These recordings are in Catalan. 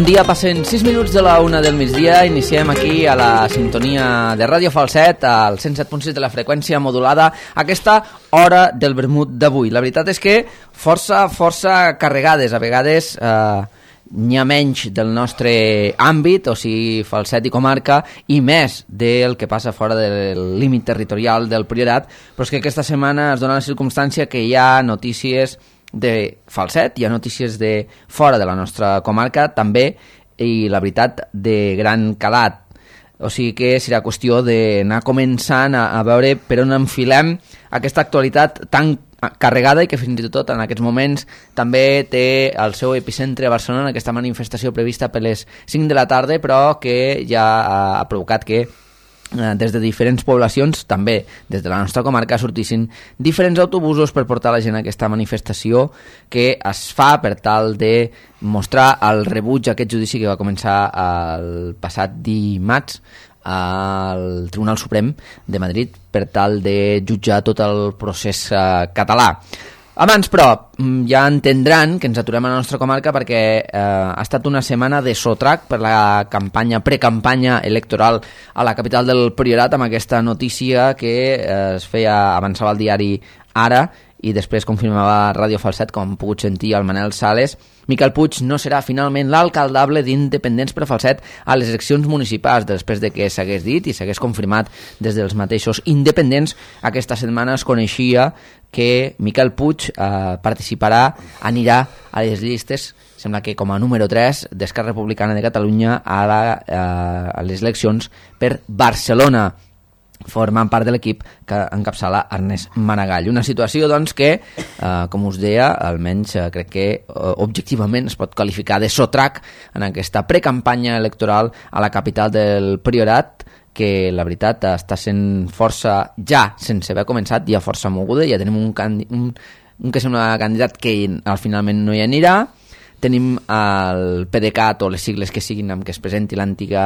Bon dia, passen 6 minuts de la 1 del migdia. Iniciem aquí a la sintonia de Ràdio Falset, al 107.6 de la freqüència modulada, aquesta hora del vermut d'avui. La veritat és que força carregades. A vegades n'hi ha menys del nostre àmbit, o sigui, Falset i comarca, i més del que passa fora del límit territorial del Priorat, però és que aquesta setmana es dona la circumstància que hi ha notícies de Falset, hi ha notícies de fora de la nostra comarca també, i la veritat de gran calat. O sigui que serà qüestió d'anar començant a veure per on enfilem aquesta actualitat tan carregada i que fins i tot en aquests moments també té el seu epicentre a Barcelona, aquesta manifestació prevista per les 5 de la tarda, però que ja ha provocat que des de diferents poblacions, també des de la nostra comarca, sortissin diferents autobusos per portar la gent a aquesta manifestació que es fa per tal de mostrar el rebuig a aquest judici que va començar el passat dimarts al Tribunal Suprem de Madrid per tal de jutjar tot el procés català. Abans, però, ja entendran que ens aturem a la nostra comarca perquè ha estat una setmana de sotrac per la precampanya electoral a la capital del Priorat, amb aquesta notícia que es feia, avançava al diari Ara i després confirmava Ràdio Falset, com hem pogut sentir el Manel Sales. Miquel Puig no serà finalment l'alcaldable d'Independents per Falset a les eleccions municipals, després de que s'hagués dit i s'hagués confirmat des dels mateixos independents. Aquesta setmana es coneixia que Miquel Puig anirà a les llistes, sembla que com a número 3 d'Esquerra Republicana de Catalunya a les eleccions per Barcelona, formant part de l'equip que encapçala Ernest Maragall. Una situació, doncs, que, com us deia, almenys crec que objectivament es pot qualificar de sotrac en aquesta precampanya electoral a la capital del Priorat, que la veritat està sent força, ja sense haver començat, ja força moguda. Ja tenim un que sembla candidat que al finalment no hi anirà. Tenim el PDeCAT, o les sigles que siguin amb què es presenti l'antiga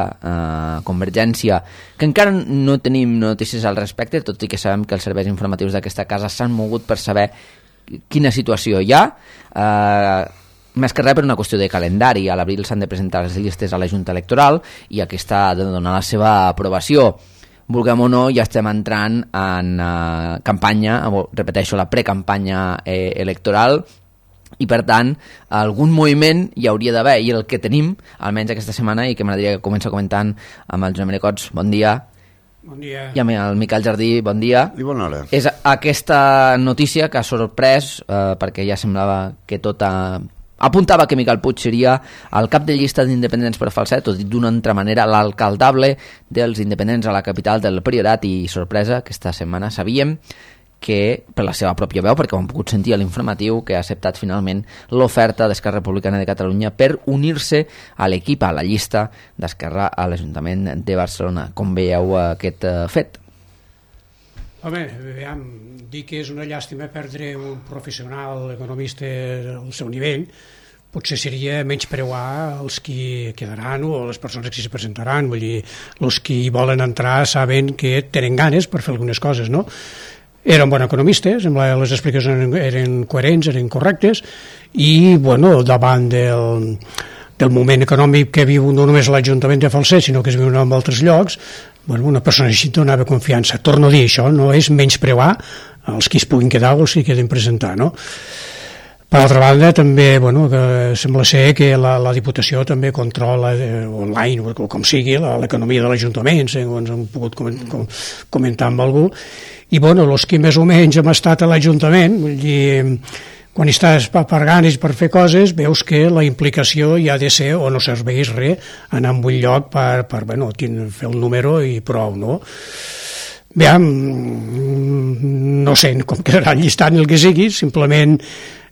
Convergència, que encara no tenim notícies al respecte, tot i que sabem que els serveis informatius d'aquesta casa s'han mogut per saber quina situació hi ha. Més que res per una qüestió de calendari. A l'abril s'han de presentar les llistes a la Junta Electoral i aquesta ha de donar la seva aprovació. Vulguem o no, ja estem entrant en campanya, repeteixo, la precampanya electoral, i per tant algun moviment hi hauria d'haver, i el que tenim almenys aquesta setmana, i que m'agradaria que comença comentant amb el Joan Maricots, bon dia. Bon dia. I amb el Miquel Jardí, bon dia. I bona hora. És aquesta notícia que ha sorprès perquè ja semblava que tot apuntava que Miquel Puig seria el cap de llista d'independents per Falset, o dit d'una altra manera, l'alcaldable dels independents a la capital del Priorat. I sorpresa, aquesta setmana sabíem que, per la seva pròpia veu, perquè ho hem pogut sentir a l'informatiu, que ha acceptat finalment l'oferta d'Esquerra Republicana de Catalunya per unir-se a l'equip, a la llista d'Esquerra a l'Ajuntament de Barcelona. Com veieu aquest fet? Home, veiem, dir que és una llàstima perdre un professional economista al seu nivell. Potser seria menyspreuar els que quedaran o les persones que s'hi presentaran. Vull dir, els que hi volen entrar saben que tenen ganes per fer algunes coses, no? Era un bon economista, sembla que les explicacions eren coherents, eren correctes, i bueno, davant del moment econòmic que viu no només l'Ajuntament de Falset, sinó que es viu en altres llocs, bueno, una persona així donava confiança. Torno a dir, això no és menyspreuar els que es puguin quedar o els que queden presentar, no? Per altra banda, també, bueno, que sembla ser que la Diputació també controla online, o com sigui, l'economia de l'Ajuntament, segons hem pogut comentar amb algú. I, bueno, els que més o menys hem estat a l'Ajuntament, vull dir, quan estàs per ganes per fer coses, veus que la implicació hi ha de ser, o no serveix res, anar a un lloc per bueno, fer el número i prou, no? Bé, no sé com quedarà el llistat ni el que sigui, simplement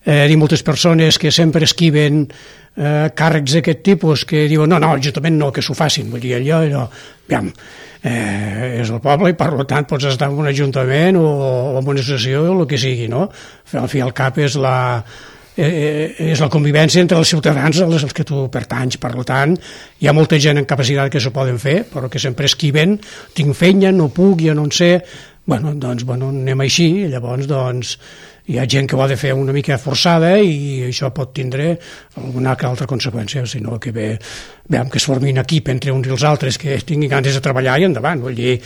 dir moltes persones que sempre esquiven càrrecs d'aquest tipus, que diuen no, l'Ajuntament no, que s'ho facin, vull dir, allò, aviam, és el poble i per tant pots estar en un ajuntament o en una associació o el que sigui, no? Al fi i al cap és la convivència entre els ciutadans als que tu pertanys. Per tant, hi ha molta gent en capacitat que s'ho poden fer, però que sempre esquiven, tinc feina, no puc, jo no en sé. Bueno, doncs, anem així, llavors, doncs, hi ha gent que ho ha de fer una mica forçada i això pot tindre alguna altra conseqüència, sinó que veiem que es formin equip entre uns i els altres que tinguin ganes de treballar i endavant. Vull dir,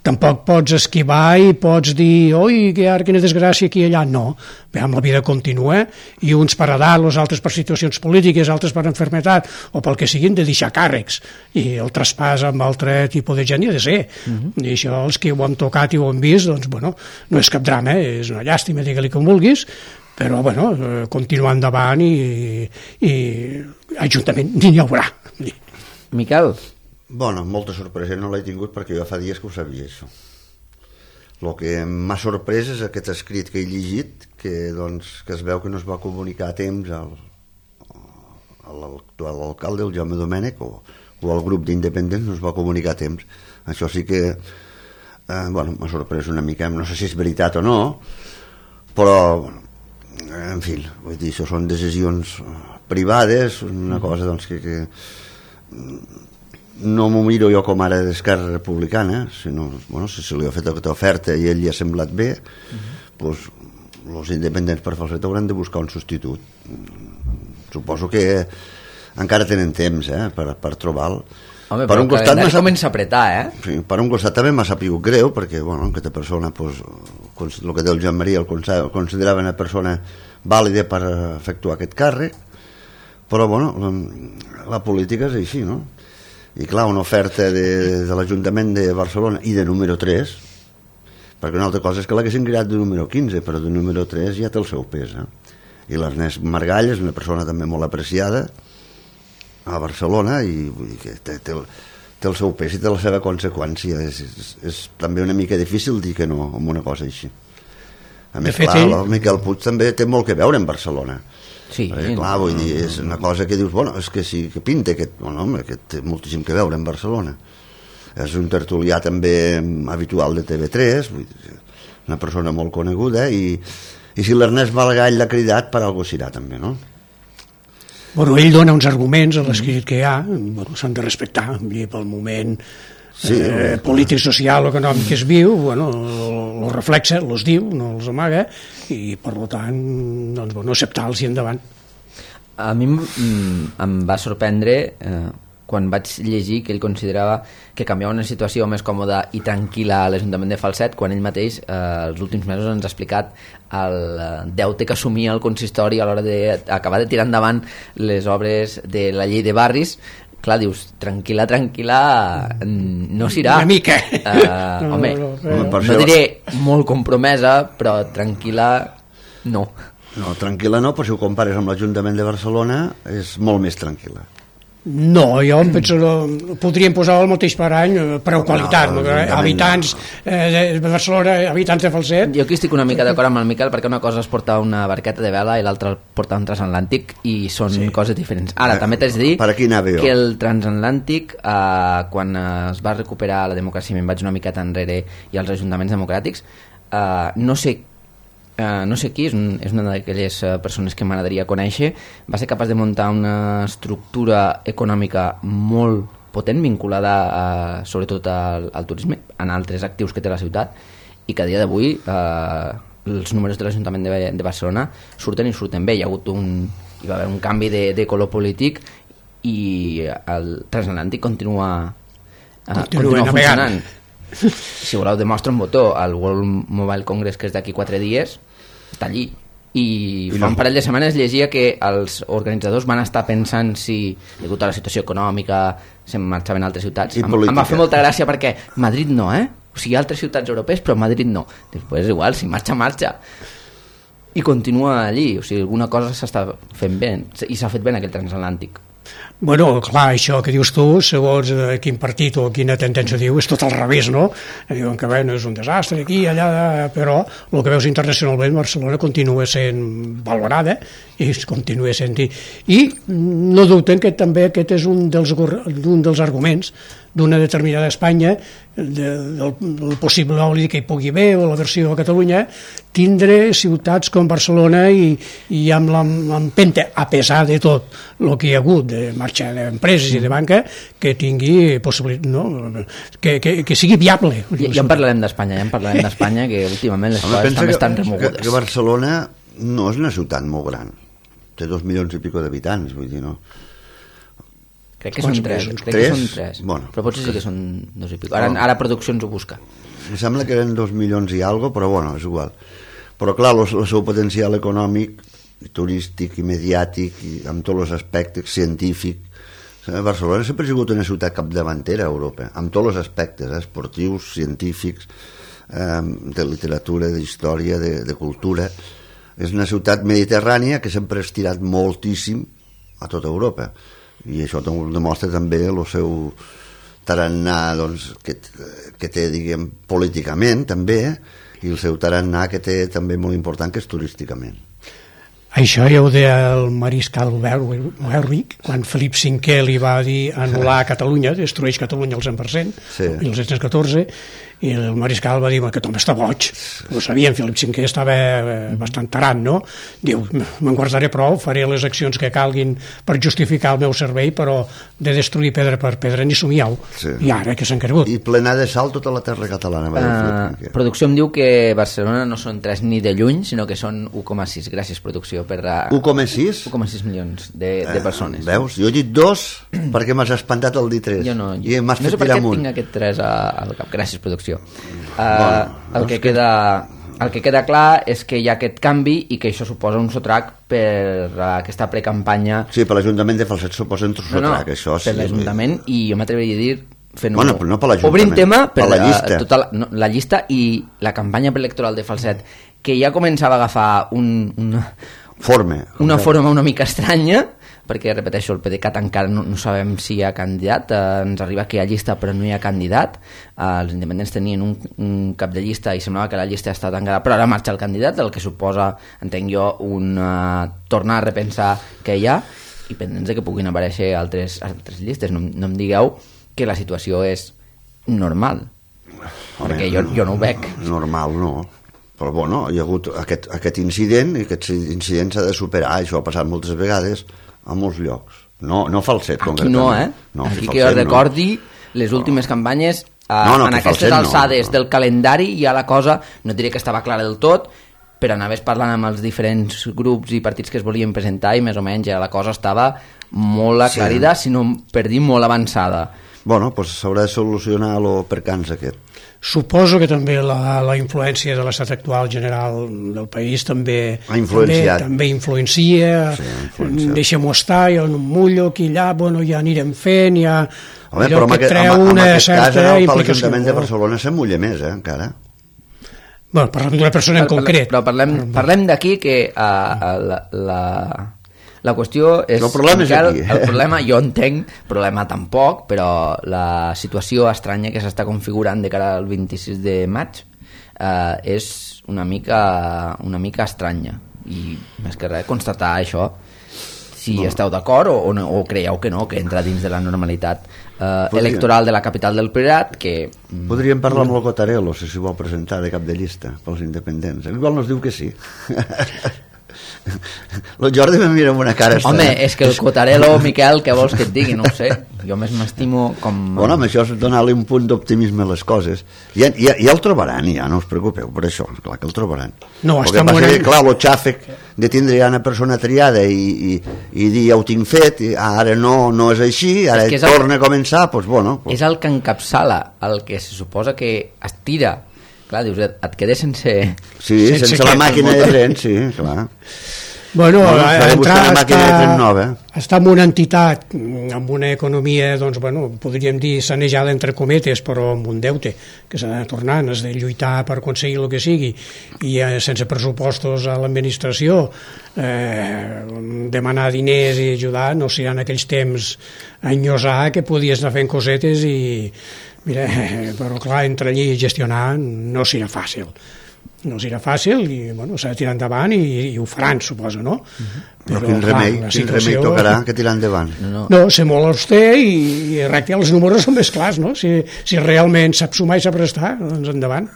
tampoc pots esquivar i pots dir, oi, que ara quina desgràcia aquí i allà. No, veiem, la vida continua i uns per edat, els altres per situacions polítiques, altres per enfermetat o pel que siguin, de deixar càrrecs, i el traspàs amb altre tipus de gent hi ha de ser. I això, els que ho hem tocat i ho hem vist, doncs, bueno, no és cap drama, és una llàstima, digue-li com vulguis, però, bueno, continuar endavant i ajuntament n'hi haurà. Miquel? Bueno, molta sorpresa no l'he tingut perquè jo fa dies que ho sabia, això. El que m'ha sorprès és aquest escrit que he llegit, que es veu que no es va comunicar a temps a l'actual alcalde, el Jaume Domènech, o al grup d'independents no es va comunicar a temps. Això sí que m'ha sorprès una mica, no sé si és veritat o no, però en fi, vull dir, això són decisions privades, una cosa que no m'ho miro jo com ara d'Esquerra Republicana, sinó, bueno, si se li ha fet aquesta oferta i ell li ha semblat bé, doncs els independents per Falset hauran de buscar un substitut. Suposo que encara tenen temps per trobar-lo. Home, per un costat comença a apretar, Sí, per un costat també m'ha sapigut greu, perquè, bueno, aquesta persona, pues, el que diu el Joan Maria, el considerava una persona vàlida per efectuar aquest càrrec, però, bueno, la política és així, no? I, clar, una oferta de l'Ajuntament de Barcelona i de número 3, perquè una altra cosa és que l'haguessin creat de número 15, però de número 3 ja té el seu pes, I l'Ernest Margall és una persona també molt apreciada a Barcelona i vull dir que té el seu pes i té la seva conseqüència. És també una mica difícil dir que no amb una cosa així. A més, clar, el Miquel Puig també té molt que veure en Barcelona. Sí, clar, vull dir, és una cosa que dius, bueno, és que sí, que pinta aquest, bueno, home, que té moltíssim que veure en Barcelona. És un tertulià també habitual de TV3, vull dir, una persona molt coneguda i si l'Ernest Margall l'ha cridat, per alguna cosa serà també, no? Bueno, ell dona uns arguments a l'escrit que hi ha, bueno, s'han de respectar, pel moment polític, social, econòmic que es viu, bueno, els reflexa, els diu, no els amaga, i per tant, doncs, bueno, acceptar-los i endavant. A mi em va sorprendre quan vaig llegir que ell considerava que canviava una situació més còmoda i tranquil·la a l'Ajuntament de Falset, quan ell mateix els últims mesos ens ha explicat el deute que assumia el consistori a l'hora d'acabar de tirar endavant les obres de la llei de barris. Clar, dius, tranquil·la, no s'irà. Una mica. No diré molt compromesa, però tranquil·la no. No, tranquil·la no, però si ho compares amb l'Ajuntament de Barcelona és molt més tranquil·la. No, jo em penso que podríem posar el mateix per any, preu qualitat, habitants de Barcelona, habitants de Falset. Jo aquí estic una mica d'acord amb el Miquel, perquè una cosa és portar una barqueta de vela i l'altra portar un transatlàntic, i són coses diferents. Ara, també t'haig de dir que el transatlàntic, quan es va recuperar la democràcia, me'n vaig una miqueta enrere, i els ajuntaments democràtics, no sé qui, és una d'aquelles persones que m'agradaria conèixer, va ser capaç de muntar una estructura econòmica molt potent, vinculada sobretot al turisme, en altres actius que té la ciutat, i que a dia d'avui els números de l'Ajuntament de Barcelona surten bé. Hi va haver un canvi de color polític i el transatlàntic continua funcionant. Si voleu demostra un botó, el World Mobile Congress, que és d'aquí 4 dies, està allí, i fa un parell de setmanes llegia que els organitzadors van estar pensant si, degut a la situació econòmica, se'n marxaven a altres ciutats. Em va fer molta gràcia perquè Madrid no, o sigui, altres ciutats europees, però Madrid no. Després igual, si marxa i continua allí, o sigui, alguna cosa s'està fent bé i s'ha fet bé en aquell transatlàntic. Bueno, clar, això que dius tu, segons quin partit o quina tendència diu, és tot al revés, no? Diuen que no és un desastre aquí, allà, però el que veus internacionalment, Barcelona continua sent valorada i continua sent... I no dubten que també aquest és un dels arguments d'una determinada Espanya, del possible oli que hi pugui haver, o la versió a Catalunya, tindre ciutats com Barcelona i amb l'empenta, a pesar de tot el que hi ha hagut de marxa d'empreses i de banca, que tingui possibilitat, no? que sigui viable. Ja en parlarem d'Espanya, que últimament les coses també estan remogudes. Que Barcelona no és una ciutat molt gran, té 2 milions i pico d'habitants, vull dir, no? Crec que són 3, bueno, però potser sí que són 2 i pico. Ara producció ens ho busca. Em sembla que eren 2 milions i algo, però bueno, és igual. Però clar, el seu potencial econòmic, turístic i mediàtic, i amb tots els aspectes, científic, Barcelona sempre ha sigut una ciutat capdavantera a Europa, amb tots els aspectes, esportius, científics, de literatura, d'història, de cultura. És una ciutat mediterrània que sempre ha estirat moltíssim a tota Europa, i això demostra també el seu tarannà, doncs, que té, diguem, políticament també, i el seu tarannà que té també molt important, que és turísticament. Això ja ho deia el mariscal Werwick, quan Felip V li va dir anul·lar Catalunya, destrueix Catalunya al 100%, sí. 1714, i el mariscal va dir que Tom està boig. Ho sabien, Felip V estava bastant tarat, no? Diu, me'n guardaré prou, faré les accions que calguin per justificar el meu servei, però de destruir pedra per pedra ni somiau. Sí. I ara que s'han cregut. I plenar de sal tota la terra catalana. Producció em diu que Barcelona no són 3 ni de lluny, sinó que són 1,6. Gràcies, producció, per... 1,6? 1,6 milions de persones. Veus? Jo he dit 2 perquè m'has espantat el dir 3. Jo no. I m'has fet tirar amunt. No sé per què tinc aquest 3 al cap. Gràcies, producció. El que queda clar és que hi ha aquest canvi i que això suposa un sotrac per aquesta precampanya. Sí, per l'Ajuntament de Falset suposa un sotrac, això sí. Per l'Ajuntament, i jo m'atreviria a dir no per l'Ajuntament, obrim tema per la llista. La llista i la campanya preelectoral de Falset, que ja començava a agafar una forma una mica estranya, perquè, repeteixo, el PDeCAT encara no sabem si hi ha candidat, ens arriba que hi ha llista però no hi ha candidat, els independents tenien un cap de llista i semblava que la llista està tancada, però ara marxa el candidat, el que suposa, entenc jo, tornar a repensar què hi ha, i pendents de que puguin aparèixer altres llistes. No em digueu que la situació és normal, perquè jo no ho veig. Normal no, però bueno, hi ha hagut aquest incident, i aquest incident s'ha de superar, això ha passat moltes vegades a molts llocs, no Falset aquí no, aquí que jo recordi les últimes campanyes en aquestes alçades del calendari ja la cosa, no diré que estava clara del tot, però anaves parlant amb els diferents grups i partits que es volien presentar i més o menys ja la cosa estava molt aclarida, si no per dir molt avançada. Bueno, doncs s'haurà de solucionar el percans aquest. Suposo que també la influència de l'estat actual general del país també influencia. Deixem-ho estar, jo no em mullo, aquí allà, bueno, ja anirem fent, ja... Home, però en aquest cas, l'Ajuntament de Barcelona s'emmulla més, encara. Bueno, parlem d'una persona en concret. Però parlem d'aquí que la qüestió és... El problema és aquí. El problema, jo entenc, problema tampoc, però la situació estranya que s'està configurant de cara al 26 de maig és una mica estranya. I més que res, constatar això, si esteu d'acord o creieu que no, que entra dins de la normalitat electoral de la capital del Priorat, que... Podríem parlar amb el Cotarello, si s'hi vol presentar de cap de llista pels independents. Igual no es diu que sí. El Jordi me mira amb una cara estranya. Home, és que el Cotarello, Miquel, què vols que et digui? No ho sé, jo més m'estimo com... Bueno, amb això és donar-li un punt d'optimisme a les coses. Ja el trobaran, ja, no us preocupeu per això, clar que el trobaran. No, està molt... Clar, el xàfec de tindre ja una persona triada i dir ja ho tinc fet, i ara no és així, ara torna a començar, doncs bueno... És el que encapçala, el que se suposa que estira. Clar, dius, et quedes sense... Sí, sense la màquina de tren, sí, clar. Bueno, està en una entitat, amb una economia, doncs, bueno, podríem dir sanejada entre cometes, però amb un deute que s'ha de tornar, has de lluitar per aconseguir el que sigui, i sense pressupostos a l'administració, demanar diners i ajudar, no sé, en aquells temps a enllosar que podies anar fent cosetes i... Mira, però clar, entre allí i gestionar no serà fàcil. no els era fàcil i bueno, s'ha de tirar endavant i ho faran, suposo, no? Però quin remei tocarà que tirar endavant? No, ser molt auster i recte, els números són més clars, no? Si realment sap sumar i sap restar, doncs endavant.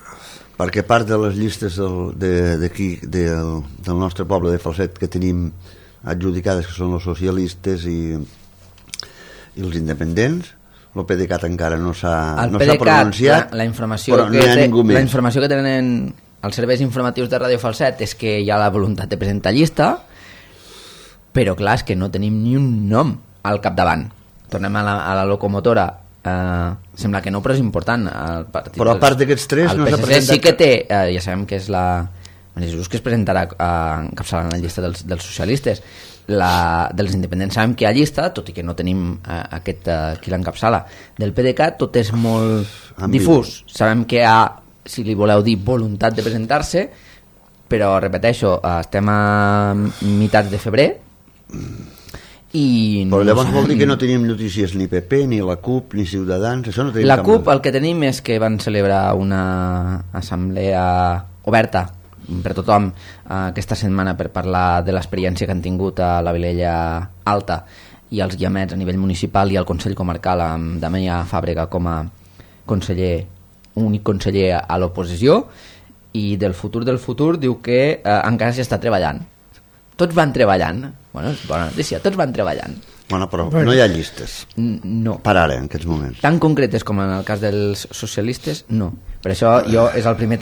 Perquè part de les llistes d'aquí, del nostre poble de Falset, que tenim adjudicades, que són els socialistes i els independents, el PDeCAT encara no s'ha pronunciat, la informació però no hi ha ningú més. La informació que tenen els serveis informatius de Ràdio Falset és que hi ha la voluntat de presentar llista, però clar, és que no tenim ni un nom al capdavant. Tornem a la locomotora, sembla que no, però és important. Però a part d'aquests tres no s'ha presentat... El PSC sí que té, ja sabem que és la... Jesús, que es presentarà encapçalant la llista dels socialistes. Dels independents sabem que hi ha llista, tot i que no tenim qui l'encapçala. Del PDeCAT tot és molt difús. Sabem que hi ha, si li voleu dir, voluntat de presentar-se, però repeteixo, estem a meitats de febrer i però llavors vol dir que no tenim notícies ni PP, ni la CUP, ni Ciutadans, això no tenim la CUP el que tenim és que van celebrar una assemblea oberta per tothom aquesta setmana per parlar de l'experiència que han tingut a la Vilella Alta i els guiamets a nivell municipal i al Consell Comarcal amb Damià Fàbrega com a únic conseller a l'oposició, i del futur diu que encara s'hi està treballant. Tots van treballant. Bueno, és bona notícia, tots van treballant. Bueno, però no hi ha llistes. No. Per ara, en aquests moments. Tan concretes com en el cas dels socialistes, no. Per això és el primer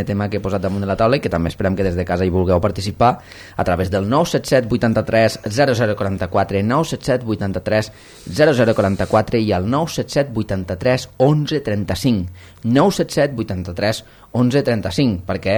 tema que he posat damunt de la taula i que també esperem que des de casa hi vulgueu participar a través del 977 83 0044, 977 83 0044 i el 977 83 11 35, 977 83 11 35, perquè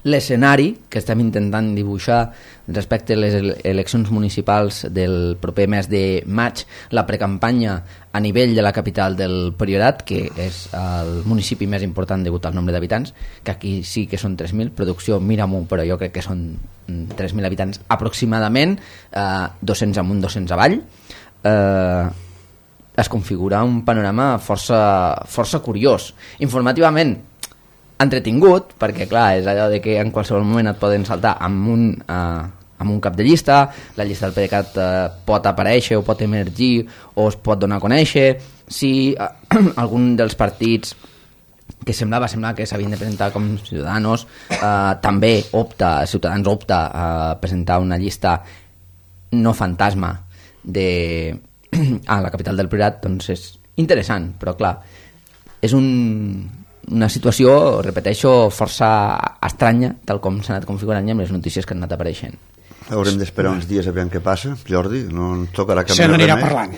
l'escenari que estem intentant dibuixar respecte a les eleccions municipals del proper mes de maig, la precampanya a nivell de la capital del Priorat, que és el municipi més important degut al nombre d'habitants, que aquí sí que són 3.000, producció mira-m'ho, però jo crec que són 3.000 habitants aproximadament, 200 amunt, 200 avall, es configura un panorama força curiós. Informativament entretingut, perquè clar, és allò de que en qualsevol moment et poden saltar amb un cap de llista, la llista del PDeCAT pot aparèixer o pot emergir o es pot donar a conèixer. Si algun dels partits que semblava que s'havien de presentar com Ciudadanos també Ciutadans opta a presentar una llista no fantasma a la capital del Priorat, doncs és interessant, però clar, és una situació, repeteixo, força estranya, tal com s'ha anat configurant i amb les notícies que han anat apareixent. Haurem d'esperar uns dies a veure què passa, Jordi, no ens tocarà canviar res. Se n'anirà parlant,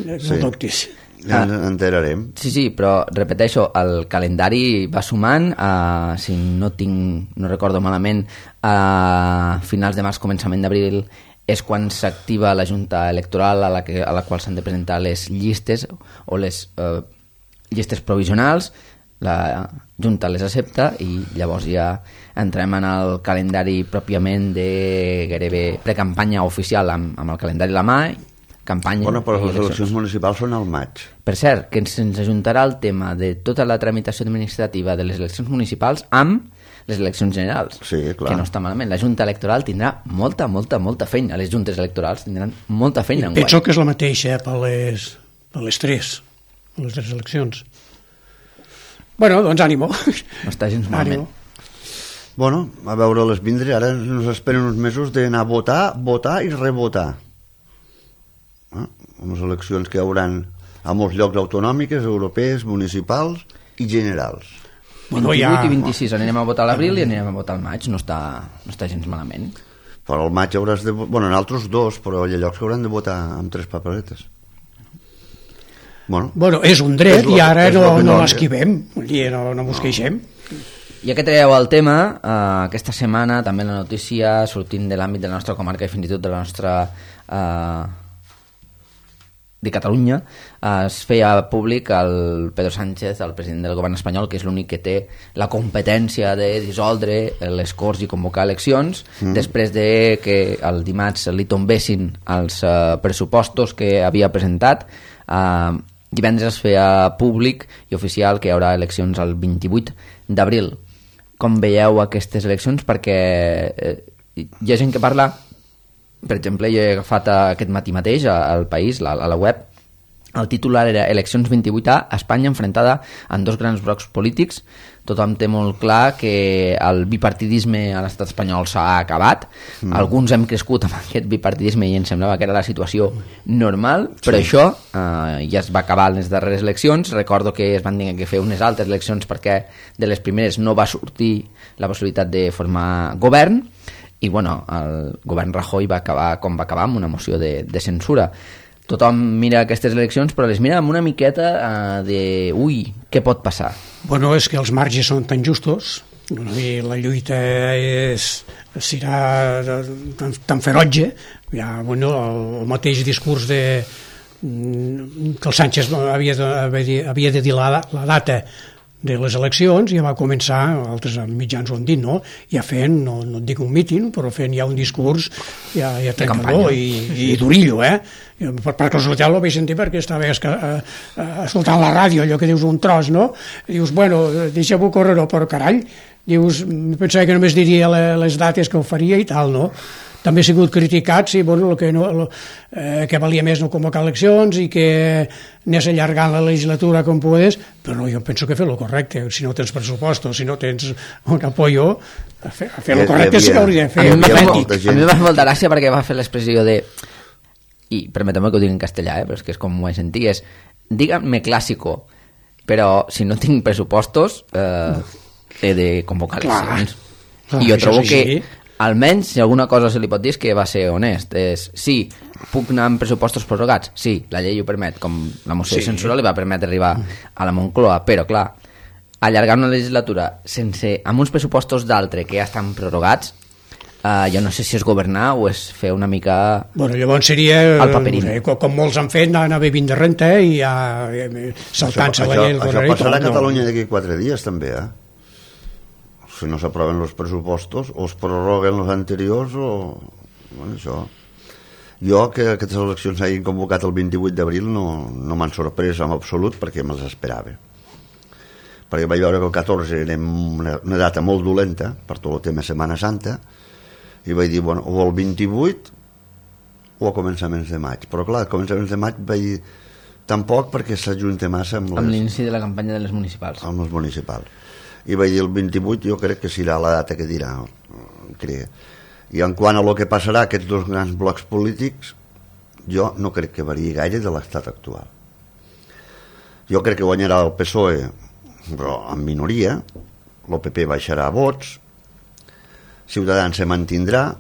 no dubtis. Ja ens enterarem. Sí, però repeteixo, el calendari va sumant, si no recordo malament, a finals de març, començament d'abril, és quan s'activa la Junta Electoral a la qual s'han de presentar les llistes o les llistes provisionals. La Junta les accepta i llavors ja entrem en el calendari pròpiament de gairebé precampanya oficial amb el calendari a la mà, campanya... Bueno, però les eleccions municipals són al maig. Per cert, que ens ajuntarà el tema de tota la tramitació administrativa de les eleccions municipals amb les eleccions generals, sí, clar. Que no està malament. La Junta Electoral tindrà molta feina, les juntes electorals tindran molta feina. Penso que és la mateixa per les tres eleccions. Bueno, doncs ànimo. No està gens malament. Bueno, a veure-les vindre. Ara ens esperen uns mesos d'anar a votar i revotar. Unes eleccions que hi hauran a molts llocs autonòmiques, europees, municipals i generals. 28 i 26 anirem a votar a l'abril i anirem a votar al maig. No està gens malament. Però al maig hauràs de... Bueno, en altres dos, però hi ha llocs que hauran de votar amb 3 paperetes. Bueno, és un dret i ara no l'esquivem, no mos queixem. Ja que traieu el tema, aquesta setmana també la notícia sortint de l'àmbit de la nostra comarca i fins i tot de la nostra de Catalunya, es feia públic el Pedro Sánchez, el president del govern espanyol, que és l'únic que té la competència de dissoldre les Corts i convocar eleccions, després de que el dimarts li tombessin els pressupostos que havia presentat. Divendres es feia públic i oficial que hi haurà eleccions el 28 d'abril. com veieu aquestes eleccions, perquè hi ha gent que parla, per exemple, jo he agafat aquest matí mateix al País, a la web, el titular era Eleccions 28A, Espanya enfrontada en dos grans blocs polítics. Tothom té molt clar que el bipartidisme a l'estat espanyol s'ha acabat. Alguns hem crescut amb aquest bipartidisme i ens semblava que era la situació normal, però això ja es va acabar en les darreres eleccions. Recordo que es van tenir que fer unes altres eleccions perquè de les primeres no va sortir la possibilitat de formar govern, i bueno, el govern Rajoy va acabar com va acabar, amb una moció de censura. Tothom mira aquestes eleccions, però les mira amb una miqueta de ui, què pot passar? Bueno, és que els marges són tan justos i la lluita serà tan ferotge. Ja, bueno, el mateix discurs que el Sánchez havia de dir la data de les eleccions, ja va començar, altres mitjans ho han dit, no? Ja fent, no et dic un míting, però fent ja un discurs ja trencador i durillo, per casualitat ho vaig sentir perquè estava escoltant la ràdio, allò que dius un tros, no? Dius, bueno, deixa-ho córrer, però carai, dius, pensava que només diria les dates que ho faria i tal, no? També ha sigut criticat, sí, bueno, que valia més no convocar eleccions i que anés allargant la legislatura com pogués, però jo penso que fer-lo correcte. Si no tens pressupostos, si no tens un apoyo, a fer-lo correcte sí que hauria de fer. A mi em va fer molta gràcia perquè va fer l'expressió de, i permeteu-me que ho digui en castellà, però és que és com ho he sentit, és díganme clásico, però si no tinc pressupostos he de convocar eleccions. I jo trobo que almenys, si alguna cosa se li pot dir és que va ser honest. Sí, puc anar amb pressupostos prorrogats? Sí, la llei ho permet, com la moció de censura li va permetre arribar a la Moncloa, però clar, allargar una legislatura amb uns pressupostos d'altre que ja estan prorrogats, jo no sé si és governar o és fer una mica bueno, llavors seria el paperín. Com molts han fet, anar bevint de renta i ja saltant-se la llei. Això passarà a Catalunya d'aquí 4 dies també, si no s'aproven els pressupostos o es prorroguen els anteriors o... Bueno, això... Jo que aquestes eleccions s'hagin convocat el 28 d'abril no m'han sorprès en absolut perquè me'ls esperava. Perquè vaig veure que el 14 era una data molt dolenta per tot el tema Setmana Santa i vaig dir, bueno, o el 28 o a començaments de maig. Però clar, a començaments de maig vaig dir tampoc perquè s'ajunta massa amb l'inici de la campanya de les municipals. Amb els municipals. I vaig dir el 28 jo crec que serà la data que dirà, crec. I en quant a lo que passarà aquests dos grans blocs polítics, jo no crec que variï gaire de l'estat actual. Jo crec que guanyarà el PSOE, però en minoria, el PP baixarà vots, Ciutadans se mantindrà,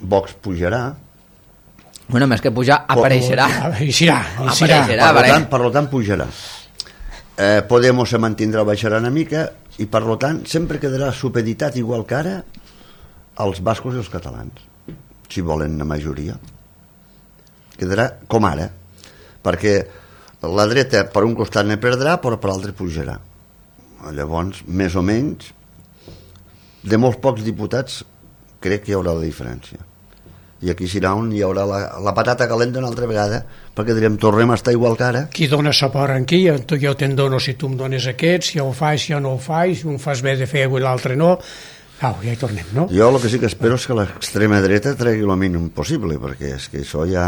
Vox pujarà. Bueno, més que pujar, apareixerà. Per tant, pujarà. Podemos se mantindrà o baixarà una mica i per tant sempre quedarà supeditat igual que ara als bascos i els catalans, si volen una majoria quedarà com ara, perquè la dreta per un costat ne perdrà però per l'altre pujarà. Llavors més o menys de molts pocs diputats crec que hi haurà la diferència i aquí serà on hi haurà la patata calenta una altra vegada, perquè direm tornem a estar igual que ara. Qui dona suport en qui? Jo te'n dono si tu em dones aquest, si ho faig, si no ho faig, si un fas bé de fer i l'altre no. Ja hi tornem, no? Jo el que sí que espero és que l'extrema dreta tregui el mínim possible, perquè és que això ja...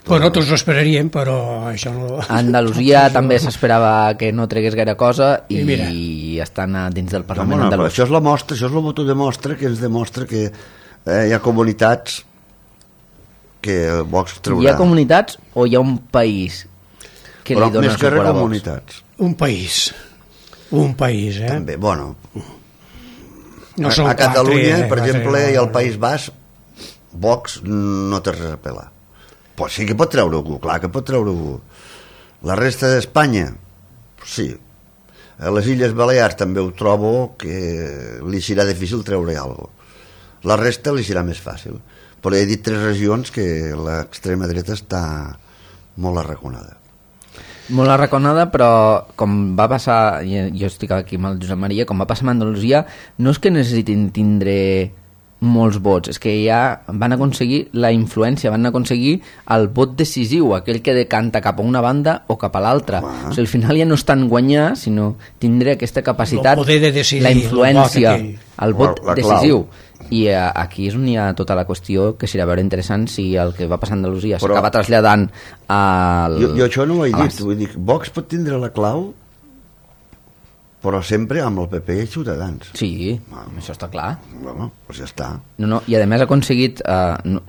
Bueno, tots ho esperaríem, però això no... A Andalusia també s'esperava que no tregués gaire cosa i estan dins del Parlament andalús. Això és la mostra, això és el voto de mostra que ens demostra que hi ha comunitats que Vox traurà. Hi ha comunitats o hi ha un país que li dona suport a Vox? Comunitats. Un país, També, bueno, no a Catalunya, per exemple, i al País Basc, Vox no té res a pelar. Pues sí que pot treure algú, clar que pot treure algú. La resta d'Espanya, sí. A les Illes Balears també ho trobo que li serà difícil treure alguna cosa. La resta li serà més fàcil, però he dit 3 regions que l'extrema dreta està molt arraconada. Molt arraconada, però com va passar, jo estic aquí amb el Josep Maria, com va passar amb Andalusia, no és que necessitin tindre molts vots, és que ja van aconseguir la influència, van aconseguir el vot decisiu, aquell que decanta cap a una banda o cap a l'altra. O sigui, al final ja no és tant guanyar, sinó tindre aquesta capacitat, el poder de decidir, la influència, el vot la decisiu. I aquí és on hi ha tota la qüestió, que serà veure interessant si el que va passar a Andalusia s'acaba traslladant al... Jo això no ho he dit, vull dir, Vox pot tindre la clau, però sempre amb el PP i Ciutadans. Sí, això està clar. Bueno, doncs ja està. No, i a més ha aconseguit,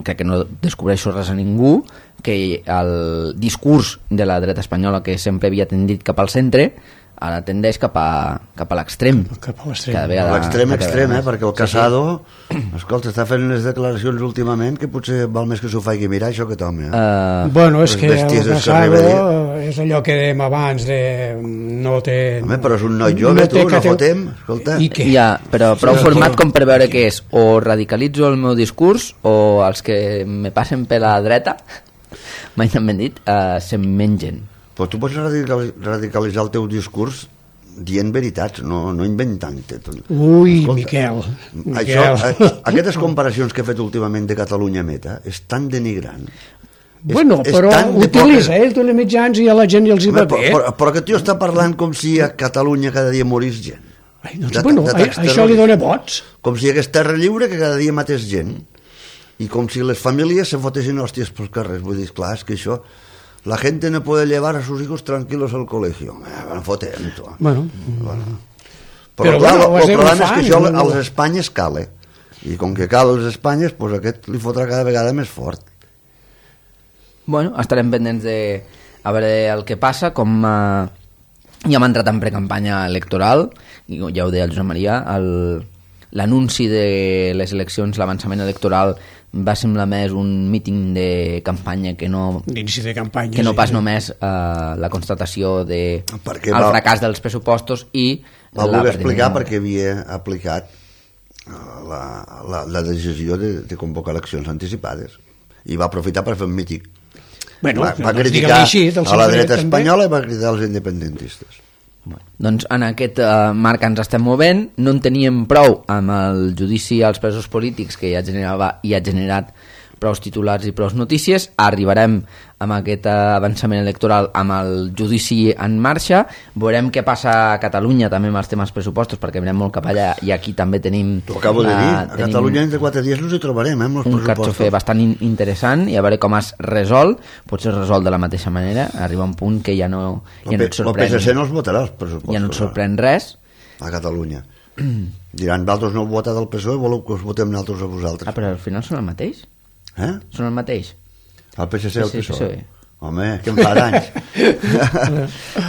crec que no descobreixo res a ningú, que el discurs de la dreta espanyola, que sempre havia tendit cap al centre, ara tendeix cap a l'extrem. Cap a l'extrem. L'extrem, perquè el Casado, escolta, està fent unes declaracions últimament que potser val més que s'ho faci mirar, això, aquest home. Bueno, és que el Casado és allò que dèiem abans de... no té... Home, però és un noi jove, no fotem, escolta. Ja, però prou format com per veure què és. O radicalitzo el meu discurs, o els que me passen per la dreta, mai n'han ben dit, se'n mengen. Però tu pots radicalitzar el teu discurs dient veritats, no inventant-te. Ui, Miquel. Aquestes comparacions que he fet últimament de Catalunya Meta és tan denigrant. Bueno, però utilitza els mitjans i a la gent els hi va bé. Però que tu està parlant com si a Catalunya cada dia morís gent. Bueno, això li dona vots. Com si hi hagués terra lliure que cada dia matés gent. I com si les famílies se fotessin hòsties pels carrers. Vull dir, clar, és que això... La gente no puede llevar a sus hijos tranquilos al colegio. Bueno, fotem, tu. Bueno. Però clar, el problema és que això a les Espanyes cale. I com que cal a les Espanyes, doncs aquest li fotrà cada vegada més fort. Bueno, estarem pendents de a veure el que passa, com ja hem entrat en precampanya electoral, i ja ho deia el Josep Maria, l'anunci de les eleccions, l'avançament electoral va semblar més un míting de campanya que no, d'inici de campanya, que no pas només la constatació del fracàs dels pressupostos i va voler explicar perquè havia aplicat la decisió de convocar eleccions anticipades i va aprofitar per fer un míting. Bueno, va criticar a la dreta espanyola i va criticar els independentistes. Doncs en aquest marc ens estem movent, no en teníem prou amb el judici als presos polítics que ja generava i ha generat prou titulars i prou notícies. Arribarem amb aquest avançament electoral amb el judici en marxa, veurem què passa a Catalunya també amb els temes pressupostos, perquè mirem molt cap allà i aquí també tenim... T'ho acabo de dir, a Catalunya entre 4 dies ens hi trobarem, amb els pressupostos. Un carxofer bastant interessant i a veure com es resol, potser es resol de la mateixa manera, arriba un punt que ja no et sorprèn... El PSC no els votarà els pressupostos. Ja no et sorprèn res. A Catalunya. Diran, vosaltres no heu votat el PSOE, voleu que us votem nosaltres a vosaltres. Però al final són el mateix? Són el mateix? El PSC i el PSOE. Home, que em fa d'anys.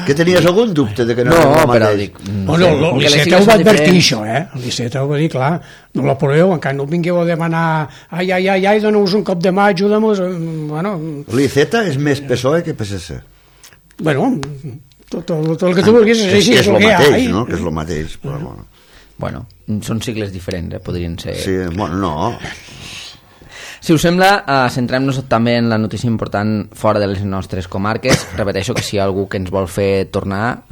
Que tenies algun dubte de que no era el mateix? L'Iceta ho va advertir, això, l'Iceta ho va dir, clar, no l'aproveu, encara no vingueu a demanar ai, dona-us un cop de mà, ajuda'm-nos. Bueno... L'Iceta és més PSOE que PSC. Bueno, tot el que tu vulguis és així. És el mateix, no? Que és el mateix, però bueno. Bueno, són sigles diferents, podrien ser... Sí, bueno, no... Si us sembla, centrem-nos també en la notícia important fora de les nostres comarques. Repeteixo que si hi ha algú que ens vol fer tornar,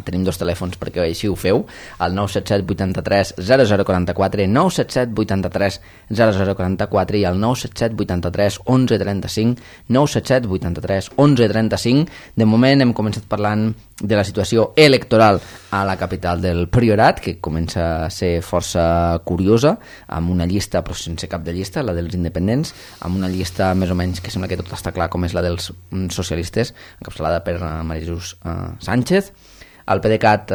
tenim 2 telèfons perquè així ho feu, el 977 83 0044, 977 83 0044 i el 977 83 11 35, 977 83 11 35. De moment hem començat parlant de la situació electoral a la capital del Priorat, que comença a ser força curiosa, amb una llista però sense cap de llista, la dels independents, amb una llista més o menys que sembla que tot està clar, com és la dels socialistes, encapçalada per María Jesús Sánchez. El PDeCAT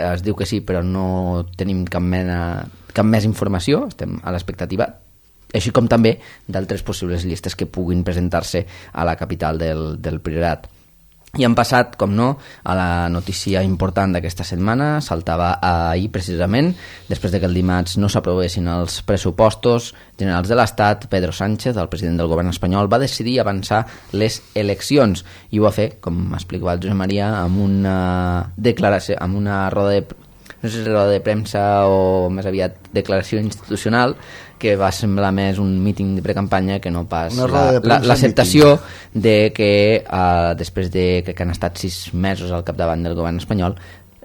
es diu que sí, però no tenim cap més informació, estem a l'expectativa, així com també d'altres possibles llistes que puguin presentar-se a la capital del Priorat. I hem passat, com no, a la notícia important d'aquesta setmana. Saltava ahir, precisament, després de que el dimarts no s'aprovessin els pressupostos generals de l'Estat. Pedro Sánchez, el president del govern espanyol, va decidir avançar les eleccions i ho va fer, com explicava el Josep Maria, amb una declaració, amb una roda de... no sé si roda de premsa o més aviat declaració institucional, que va semblar més un míting de precampanya que no pas l'acceptació de que després de que han estat 6 mesos al capdavant del govern espanyol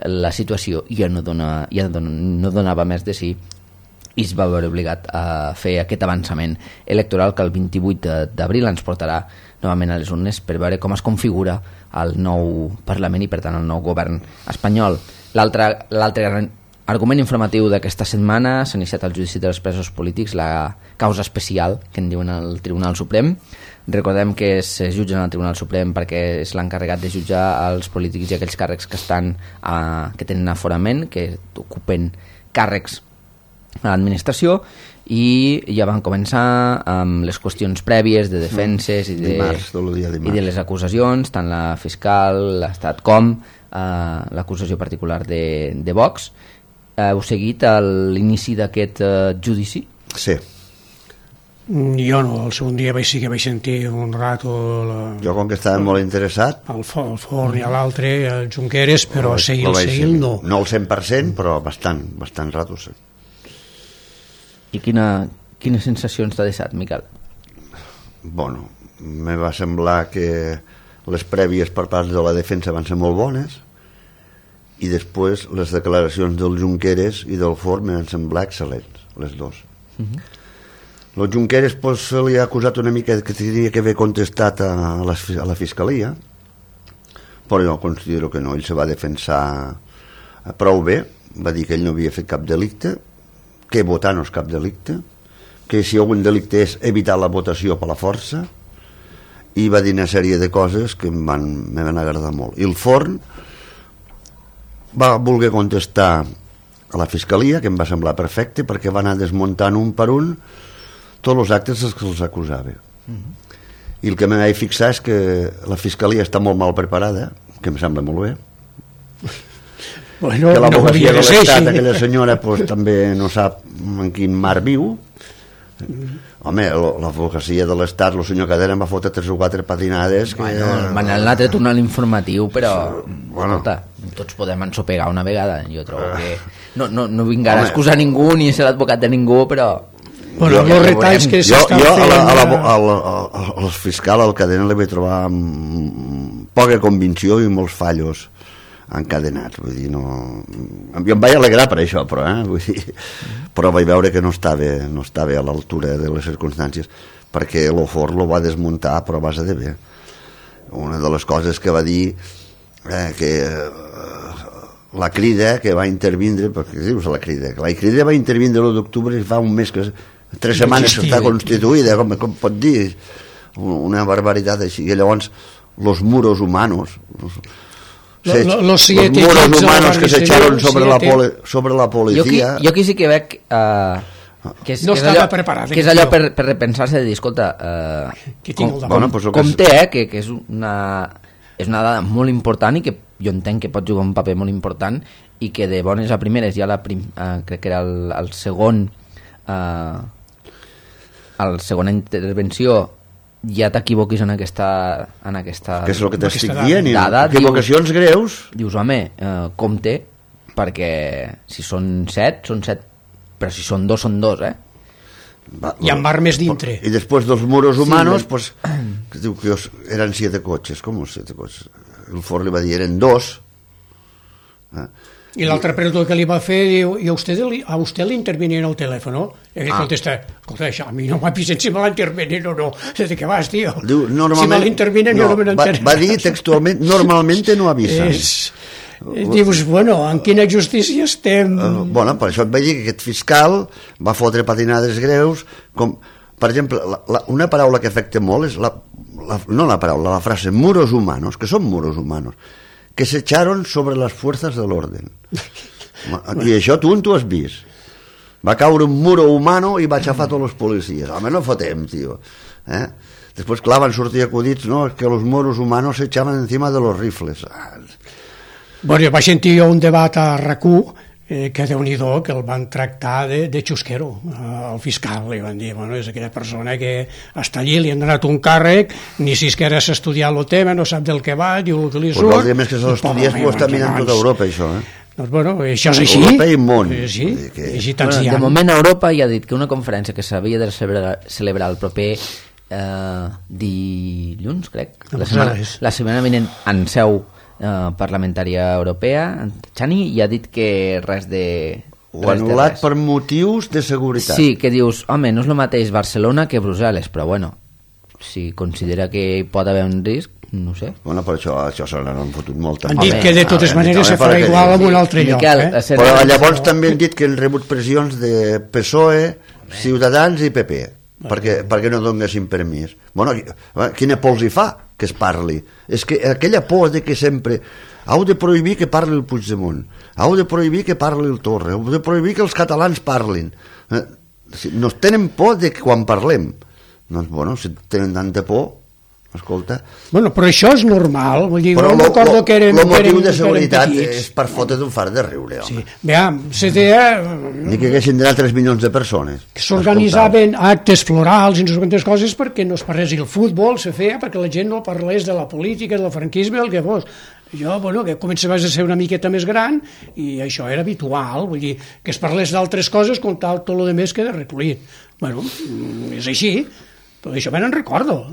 la situació ja no donava més de sí i es va veure obligat a fer aquest avançament electoral que el 28 d'abril ens portarà novament a les urnes per veure com es configura el nou Parlament i per tant el nou govern espanyol. L'altre gran argument informatiu d'aquesta setmana s'ha iniciat el judici dels presos polítics, la causa especial que en diuen el Tribunal Suprem. Recordem que es jutgen al Tribunal Suprem perquè és l'encarregat de jutjar els polítics i aquells càrrecs que que tenen aforament, que ocupen càrrecs a l'administració, i ja van començar amb les qüestions prèvies de defenses i de les acusacions, tant la fiscal, l'estat com l'acusació particular de Vox. Heu seguit l'inici d'aquest judici? Sí. Jo no, el segon dia sí que vaig sentir un rato jo com que estava molt interessat el Forn i l'altre, el Junqueras, però seguir no. No el 100%, però bastant rato, sí. I quines sensacions t'ha deixat, Miquel? Bueno, me va semblar que les prèvies per part de la defensa van ser molt bones i després les declaracions del Junqueras i del Forn m'han semblat excel·lents, les dos. El Junqueras pues, se li ha acusat una mica que tenia que haver contestat a la fiscalia, però jo considero que no, ell se va defensar prou bé, va dir que ell no havia fet cap delicte, que votar no és cap delicte, que si algun delicte és evitar la votació per la força, i va dir una sèrie de coses que me van agradar molt. I el Forn va voler contestar a la fiscalia, que em va semblar perfecte, perquè va anar desmuntant un per un tots els actes que els acusava. I el que me vaig fixar és que la fiscalia està molt mal preparada, que em sembla molt bé, que l'advocacia de l'Estat, aquella senyora pues, també no sap en quin mar viu. Home, l'advocacia de l'Estat, el senyor Cadena em va fotre 3 o 4 patinades que... Van anar a tornar l'informatiu, però tots podem ensopegar una vegada. Jo trobo que no vinc ara a excusar ningú ni a ser l'advocat de ningú, però... Bueno, els retalls que s'estan fent... Al fiscal, al Cadena, li vaig trobar poca convicció i molts fallos encadenats, vull dir, no... Jo em vaig alegrar per això, però, vull dir, però vaig veure que no estava a l'altura de les circumstàncies, perquè el Forn lo va desmuntar però a base de bé. Una de les coses que va dir que la Crida que va intervindre, perquè dius la Crida va intervindre l'1 d'octubre i fa un mes que 3 setmanes que està constituïda, com pot dir, una barbaritat així, i llavors los muros humanos los muros humanos que se echaron sobre la policía. Jo aquí sí que veig que estava preparat, que és allò per repensar-se de dir, escolta, com té, que és una dada molt important i que jo entenc que pot jugar un paper molt important i que de bones a primeres ja crec que era el segona intervenció ja t'equivoquis en aquesta que és el que t'estic dient, equivocacions greus. Dius, home, compte, perquè si són 7, són 7, però si són 2, són 2, Hi ha armes dintre. I després dels muros humanos, pues, que diu que eren 7 cotxes. Com 7 cotxes? El Forn li va dir, eren 2. I l'altre pregunta que li va fer, diu, ¿y a usted le interviene en el teléfono? Y él contesta, escolta, això a mi no m'avisen si me l'intervenen o no. ¿De què vas, tío? Diu, si me l'intervenen jo no me n'enteré. Va dir textualment, normalmente no avisen. Dius, bueno, en quina justícia estem? Bueno, per això et vaig dir que aquest fiscal va fotre patinades greus, com, per exemple, una paraula que afecta molt és la frase muros humanos, que són muros humanos, que se echaron sobre las fuerzas del orden. I això tu has vist. Va caure un muro humano i va aixafar tots els policies. Home, no fotem, tio. Després, clar, van sortir acudits, no, és que los muros humanos se echaban encima de los rifles. Bueno, vaig sentir un debat a RAC1 que Déu-n'hi-do, que el van tractar de xusquero al fiscal, li van dir, bueno, és aquella persona que està allí, li han donat un càrrec, ni si és que ara s'ha estudiat el tema, no sap del que va, diu el que li surt. Pues més que se l'estudiés, ho està mirant tota Europa, això, Doncs, bueno, això és així. Europa i món. Sí, així tant de moment Europa ja ha dit que una conferència que s'havia de celebrar el proper dilluns, crec, la setmana vinent en seu parlamentària europea, Chani, i ha dit que res de Ho ha anul·lat per motius de seguretat. Sí, que dius, home, no és el mateix Barcelona que Brussel·les, però bueno, si considera que hi pot haver un risc, no sé. Bueno, per això se n'han fotut molt. Han dit que de totes maneres se farà igual en un altre lloc. Però llavors també han dit que han rebut pressions de PSOE, Ciutadans i PP, perquè no donguessin permís. Bueno, quina por els hi fa que es parli? És que aquella por de que sempre heu de prohibir que parli el Puigdemont, heu de prohibir que parli el Torra, heu de prohibir que els catalans parlin. Nos tenen por de que quan parlem. Doncs, bueno, si tenen tanta por, escolta... Bueno, però això és normal. Vull dir, però el motiu de seguretat és per fotre d'un far de riure, home. Sí. Veam, ni que haguessin d'anar 3 milions de persones. Que s'organitzaven actes florals i no sé quantes coses perquè no es parlés el futbol, se feia perquè la gent no parlés de la política, del franquisme, el que fos. Jo, bueno, que començaves a ser una miqueta més gran i això era habitual, vull dir, que es parlés d'altres coses com tal, tot el més queda recollit. Bueno, és així, però això me'n recordo.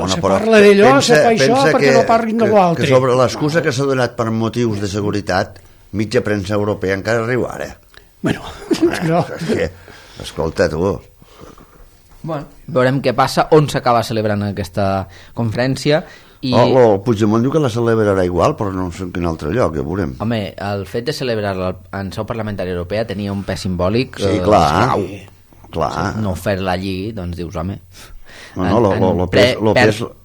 Se parla d'allò, se fa això perquè no parlin de l'altre. Que sobre l'excusa que s'ha donat per motius de seguretat, mitja premsa europea encara riu ara. Bueno, no. Escolta, tu... Bueno, veurem què passa, on s'acaba celebrant aquesta conferència. El Puigdemont diu que la celebrarà igual, però no sé en quin altre lloc, ja veurem. Home, el fet de celebrar-la en seu parlamentària europea tenia un pes simbòlic. Sí, clar. No fer-la allí, doncs dius, home...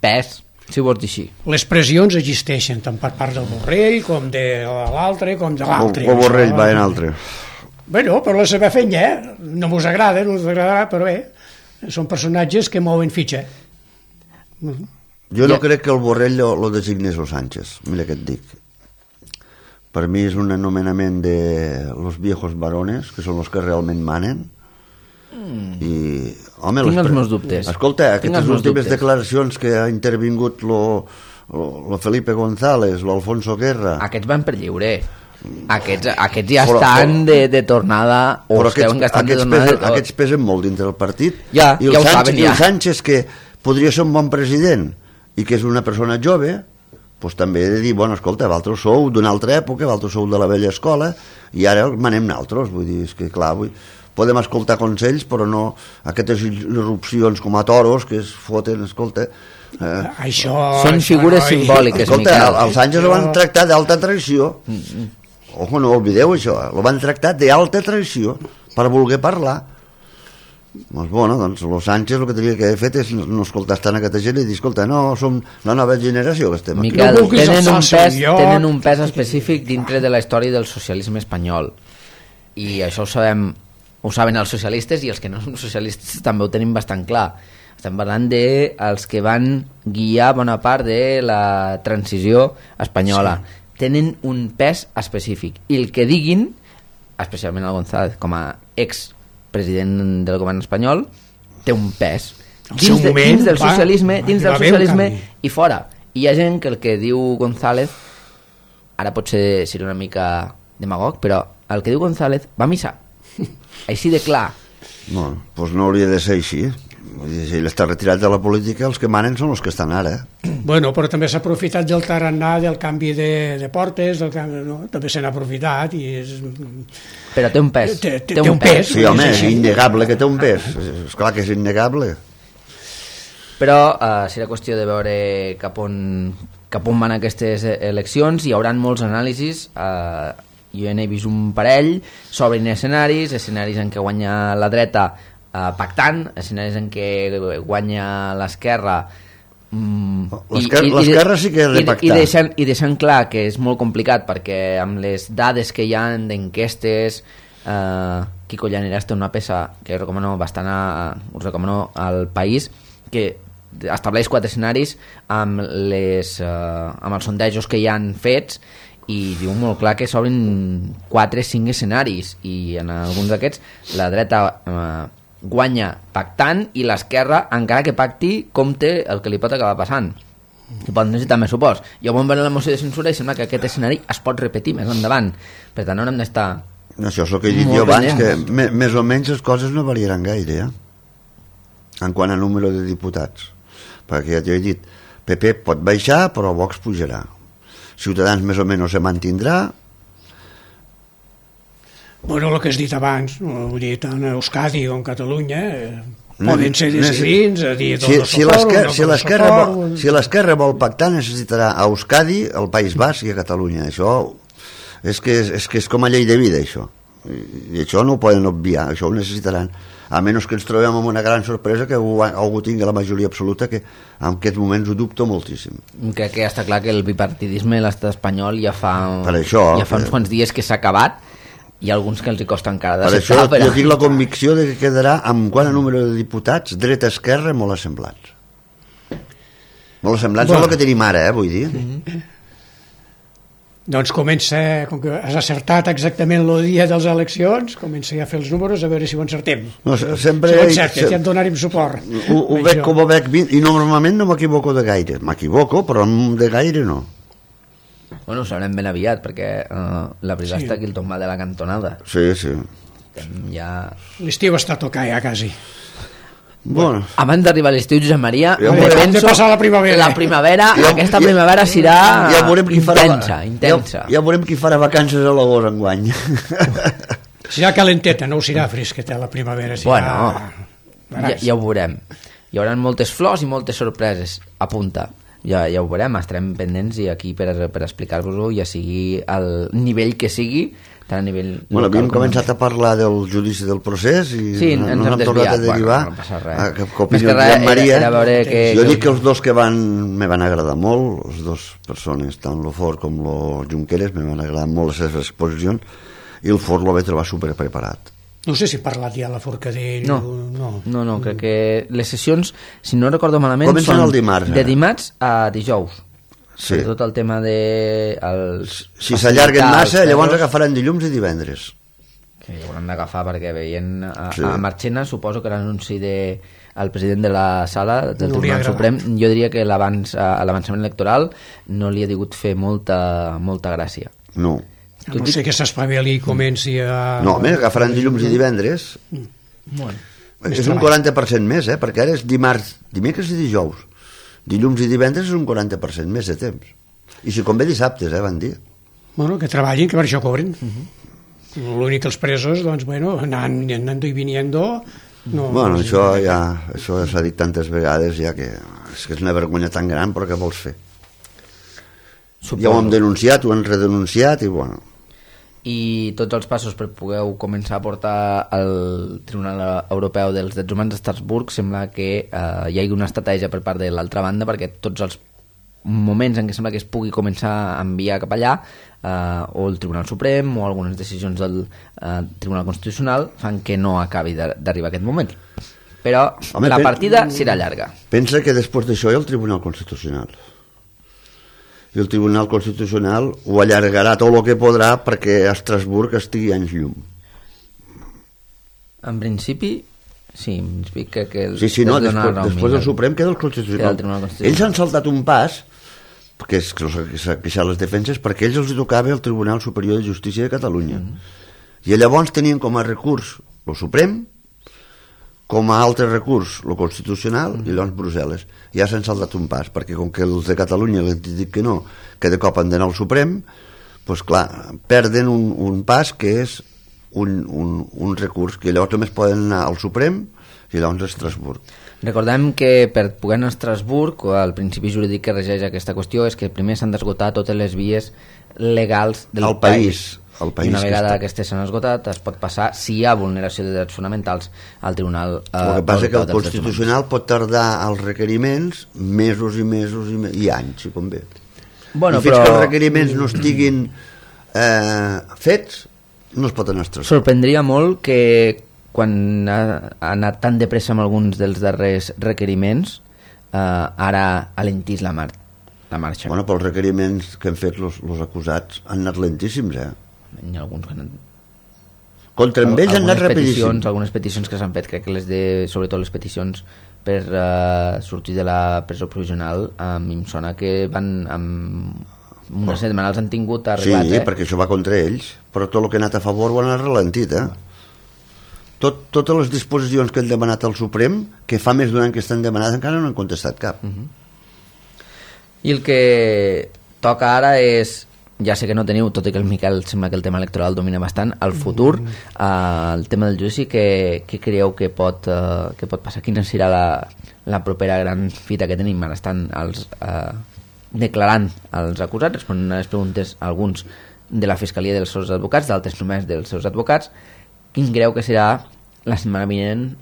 Pes, si ho vols dir així. Les pressions existeixen tant per part del Borrell com de l'altre com de l'altre. El Borrell va en altre. Bueno, però la seva feina no mos agrada, no us agradarà, però bé, són personatges que mouen fitxa. Jo no crec que el Borrell lo designés el Sánchez, mira què et dic. Per mi és un anomenament de los viejos varones, que són els que realment manen. I, home, tinc els meus dubtes. Escolta, aquestes últimes declaracions que ha intervingut lo Felipe González, l'Alfonso Guerra... Aquests van per lliure. Aquests ja estan de tornada, o estan de tornada de tot. Aquests pesen molt dintre del partit. Ja ho saben, ja. I el Sánchez, que podria ser un bon president i que és una persona jove, doncs també he de dir, bueno, escolta, vosaltres sou d'una altra època, vosaltres sou de la vella escola, i ara manem naltros, vull dir, és que clar, podem escoltar consells, però no aquestes irrupcions com a toros que es foten, escolta... Això... Són figures simbòliques, escolta, els Sánchez ho van tractar d'alta traïció. Ojo, no oblideu això, ho van tractar d'alta traïció per voler parlar. Doncs, bueno, doncs los Sánchez el que tenia que haver fet és no escoltar tant aquesta gent i dir, escolta, no, som la nova generació que estem aquí. Miquel, tenen un pes específic dintre de la història del socialisme espanyol, i això ho saben els socialistes, i els que no són socialistes també ho tenim bastant clar. Estem parlant dels que van guiar bona part de la transició espanyola. Sí. Tenen un pes específic, i el que diguin, especialment el González com a expresident del govern espanyol, té un pes dins del socialisme i fora. I hi ha gent que el que diu González, ara potser serà una mica demagog, però el que diu González va a missa, així de clar. No, doncs no hauria de ser així. Si ell està retirat de la política, els que manen són els que estan ara. Bueno, però també s'ha aprofitat del tarannà, del canvi de portes, també se n'ha aprofitat i és... Però té un pes. Té un pes. Sí, home, és innegable que té un pes. És clar que és innegable. Però serà qüestió de veure cap on van aquestes eleccions. Hi haurà molts anàlisis. Jo n'he vist un parell. S'obrin escenaris en què guanya la dreta pactant, escenaris en què guanya l'esquerra, l'esquerra sí que és de pactar, i deixant clar que és molt complicat, perquè amb les dades que hi ha d'enquestes, Quico Llaneras té una peça que us recomano al País, que estableix 4 escenaris amb els sondejos que hi han fets, i diu molt clar que s'obrin 4-5 escenaris, i en alguns d'aquests la dreta guanya pactant, i l'esquerra, encara que pacti, compte el que li pot acabar passant, i pot necessitar més suports. Jo vam veure la moció de censura i sembla que aquest escenari es pot repetir més endavant, per tant haurem d'estar... Això és el que he dit jo abans, que més o menys les coses no variaran gaire, en quant a número de diputats, perquè ja t'ho he dit, PP pot baixar però Vox pujarà, Ciutadans més o menys se mantindrà. Bueno, el que has dit abans, vull dir, tant a Euskadi com a Catalunya, poden ser decidits a dir si l'esquerra vol pactar necessitarà a Euskadi, al País Basc i a Catalunya. Això és que és com a llei de vida, això, i això no ho poden obviar, això ho necessitaran, a menys que ens trobem amb una gran sorpresa que algú tingui la majoria absoluta, que en aquests moments ho dubto moltíssim. Crec que està clar que el bipartidisme a l'estat espanyol ja fa uns quants dies que s'ha acabat. Hi ha alguns que els hi costa encara d'acceptar. Per això jo tinc la convicció de que quedarà amb quant a número de diputats dreta-esquerra molt assemblats. Molt assemblats és el que tenim ara, vull dir. Doncs comença, com que has acertat exactament el dia de les eleccions, comença ja a fer els números a veure si ho encertem. No, sempre, si ho encertes, ja et donarem suport. Ho veig com ho veig, i normalment no m'equivoco de gaire. M'equivoco, però de gaire no. Bueno, ho sabrem ben aviat, perquè la veritat està aquí el tombat de la cantonada. Sí. L'estiu està a tocar ja, quasi. Bueno. Abans d'arribar a l'estiu, Josep Maria, hem de passar la primavera. La primavera, aquesta primavera serà intensa. Ja veurem qui farà vacances a l'agost enguany. Serà calenteta, no ho serà fresqueta la primavera. Bueno, ja ho veurem. Hi haurà moltes flors i moltes sorpreses. Apunta. Ja ho veurem, estarem pendents i aquí per explicar-vos-ho, ja sigui al nivell que sigui, tant a nivell local. Bueno, havíem començat a parlar del judici del procés i ens hem tornat a derivar. No passa res. Que opinió de Maria. Que jo dic que els dos que me van agradar molt, les dues persones, tant lo Fort com lo Junqueras, me van agradar molt les seves exposicions, i el Fort lo vaig trobar superpreparat. No sé si ha parlat ja la Forcadell. No, crec que les sessions, si no recordo malament, comencen el dimarts, de dimarts a dijous. Sí. Tot el tema de... Si s'allarguen massa, llavors agafaran dilluns i divendres. Que ho hauran d'agafar perquè veient a Marchena, suposo que l'anunci del president de la sala del Tribunal Suprem, jo diria que l'avançament electoral no li ha digut fer molta gràcia. No. No sé que s'espavili i comenci a... No, home, agafaran dilluns i divendres. Bueno, és un 40% més, perquè ara és dimecres i dijous. Dilluns i divendres és un 40% més de temps. I si convé dissabtes, van dir. Bueno, que treballin, que per això cobren. L'únic que els presos, doncs, bueno, anando y viniendo... No, bueno, això s'ha dit tantes vegades ja que és una vergonya tan gran, però què vols fer? Ja ho hem denunciat, ho hem redenunciat i bueno... I tots els passos per poder començar a portar al Tribunal Europeu dels Drets Humans d'Estrasburg sembla que hi hagi una estratègia per part de l'altra banda, perquè tots els moments en què sembla que es pugui començar a enviar cap allà o el Tribunal Suprem o algunes decisions del Tribunal Constitucional fan que no acabi d'arribar aquest moment. Però la partida serà llarga. Pensa que després d'això hi ha el Tribunal Constitucional. I el Tribunal Constitucional ho allargarà tot el que podrà perquè a Estrasburg estigui anys llum. En principi, sí, que després del Suprem queda el Constitucional. Ells han saltat un pas, que és que s'ha queixat les defenses, perquè ells els tocava el Tribunal Superior de Justícia de Catalunya. I llavors tenien com a recurs el Suprem, com a altre recurs el Constitucional i llavors Brussel·les. Ja s'han saltat un pas, perquè com que els de Catalunya els dic que no, que de cop han d'anar al Suprem, doncs clar, perden un pas que és un recurs, que llavors només poden anar al Suprem i llavors a Estrasburg. Recordem que per poder anar a Estrasburg, el principi jurídic que regeix aquesta qüestió és que primer s'han d'esgotar totes les vies legals del país. I una vegada que s'han esgotat es pot passar, si hi ha vulneració de drets fonamentals, al Tribunal Europeu. El que passa que el Constitucional pot tardar els requeriments mesos i mesos i anys, si convé. I fins que els requeriments no estiguin fets, no es pot anar a Estrasburg. Sorprendria molt que quan ha anat tan de pressa amb alguns dels darrers requeriments ara alentís la marxa. Bueno, però els requeriments que han fet els acusats han anat lentíssims, Hi ha alguns que han... Contra ells han anat rapidíssim. Algunes peticions que s'han fet, crec que sobretot les peticions per sortir de la presó provisional, a mi em sona que van amb una setmana els han tingut arreglat. Sí, perquè això va contra ells, però tot el que ha anat a favor ho han ralentit, Totes les disposicions que han demanat al Suprem, que fa més d'un any que estan demanat, encara no han contestat cap. I el que toca ara és ja sé que no teniu, tot i que el Miquel sembla que el tema electoral domina bastant, el futur, el tema del judici, què creieu que pot passar? Quina serà la propera gran fita que tenim? Ara estan declarant els acusats, responent a les preguntes alguns de la Fiscalia dels seus advocats, d'altres només dels seus advocats. Quin creu que serà la setmana vinent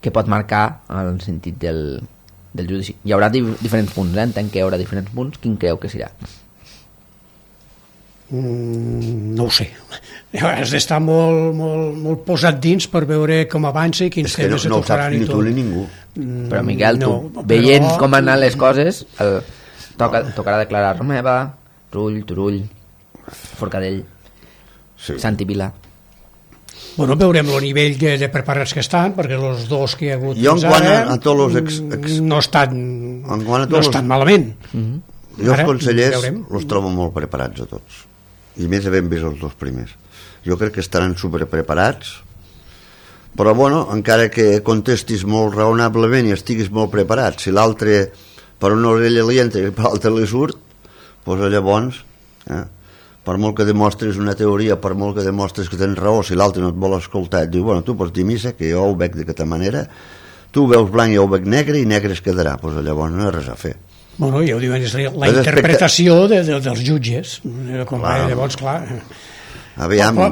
que pot marcar el sentit del judici? Hi haurà diferents punts, entenc que hi haurà diferents punts. Quin creu que serà? No ho sé. Has d'estar molt posat dins per veure com avança i quins temes se tocaran i tot. No ho saps ni tu ni ningú. Però Miquel, tu veient com han anat les coses, tocarà declarar Romeva, Turull, Forcadell, Santi Vila. Bueno, veurem el nivell de preparats que estan, perquè els dos que hi ha hagut fins ara no estan malament. Jo els consellers els trobo molt preparats a tots, i més havent vist els dos primers. Jo crec que estaran superpreparats, però bueno, encara que contestis molt raonablement i estiguis molt preparat, si l'altre per una orella li entra i per l'altre li surt, doncs llavors per molt que demostris una teoria, per molt que demostris que tens raó, si l'altre no et vol escoltar et diu, bueno, tu pots dir missa, que jo ho veig d'aquesta manera, tu veus blanc i jo ho veig negre i negre es quedarà, doncs llavors no hi ha res a fer. Bueno, ja ho diuen, és la interpretació dels jutges. Llavors, clar,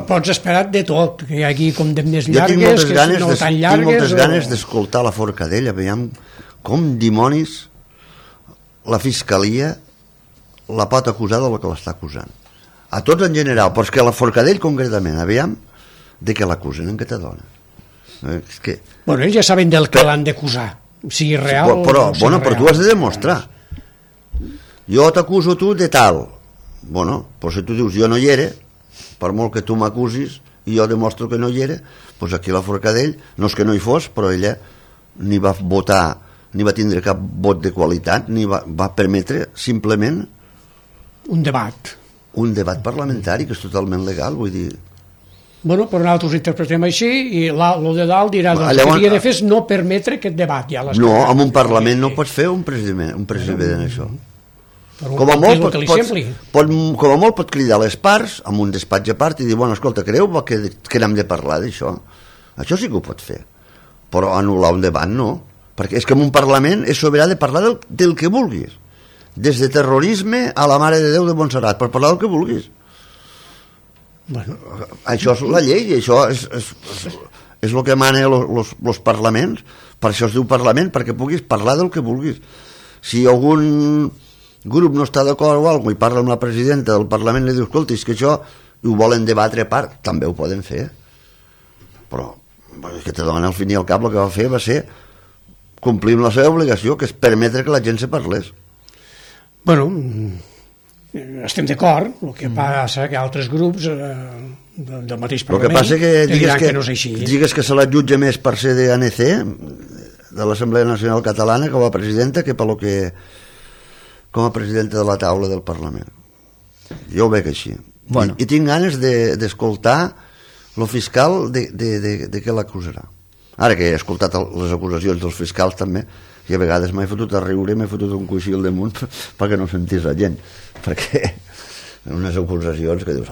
pots esperar de tot, que hi hagi condemnes llargues, que no tan llargues. Tinc moltes ganes d'escoltar la Forcadell, aviam com dimonis la Fiscalia la pot acusar del que l'està acusant. A tots en general, però és que la Forcadell concretament, aviam, de què l'acusen, en què te dona? Bueno, ells ja saben del que l'han d'acusar, sigui real o no sigui real. Però tu has de demostrar. Jo t'acuso tu de tal. Bueno, però si tu dius jo no hi era, per molt que tu m'acusis i jo demostro que no hi era, doncs aquí la Forcadell, no és que no hi fos, però ella ni va votar, ni va tindre cap vot de qualitat, ni va permetre simplement un debat parlamentari, que és totalment legal, vull dir. Bueno, però nosaltres ho interpretem així i el de dalt dirà que el que havia de fer és no permetre aquest debat. No, en un Parlament no pots fer un president això. Com a molt pot cridar les parts amb un despatx a part i dir, bueno, escolta, creu que n'hem de parlar d'això? Això sí que ho pot fer, però anul·lar un debat no, perquè és que en un Parlament és sobirà de parlar del que vulguis, des de terrorisme a la Mare de Déu de Montserrat, per parlar del que vulguis. Bueno, això és la llei, i això és el que mana els parlaments. Per això es diu Parlament, perquè puguis parlar del que vulguis. Si algun grup no està d'acord o alguna cosa i parla amb la presidenta del Parlament i li diu, escolta, és que això ho volen debatre a part, també ho poden fer, però que te dona al fin i al cap el que va fer va ser complir amb la seva obligació, que és permetre que la gent se parlés. Bueno, estem d'acord, el que passa que altres grups del mateix Parlament diran que no és així. Digues que se la jutja més per ser d'ANC, de l'Assemblea Nacional Catalana, com a presidenta, que com a presidenta de la taula del Parlament. Jo ho veig així. Bueno. I tinc ganes d'escoltar el fiscal de què l'acusarà. Ara que he escoltat les acusacions dels fiscals també, i a vegades m'he fotut a riure, m'he fotut un coixí al damunt perquè no sentís la gent, perquè unes acusacions que dius...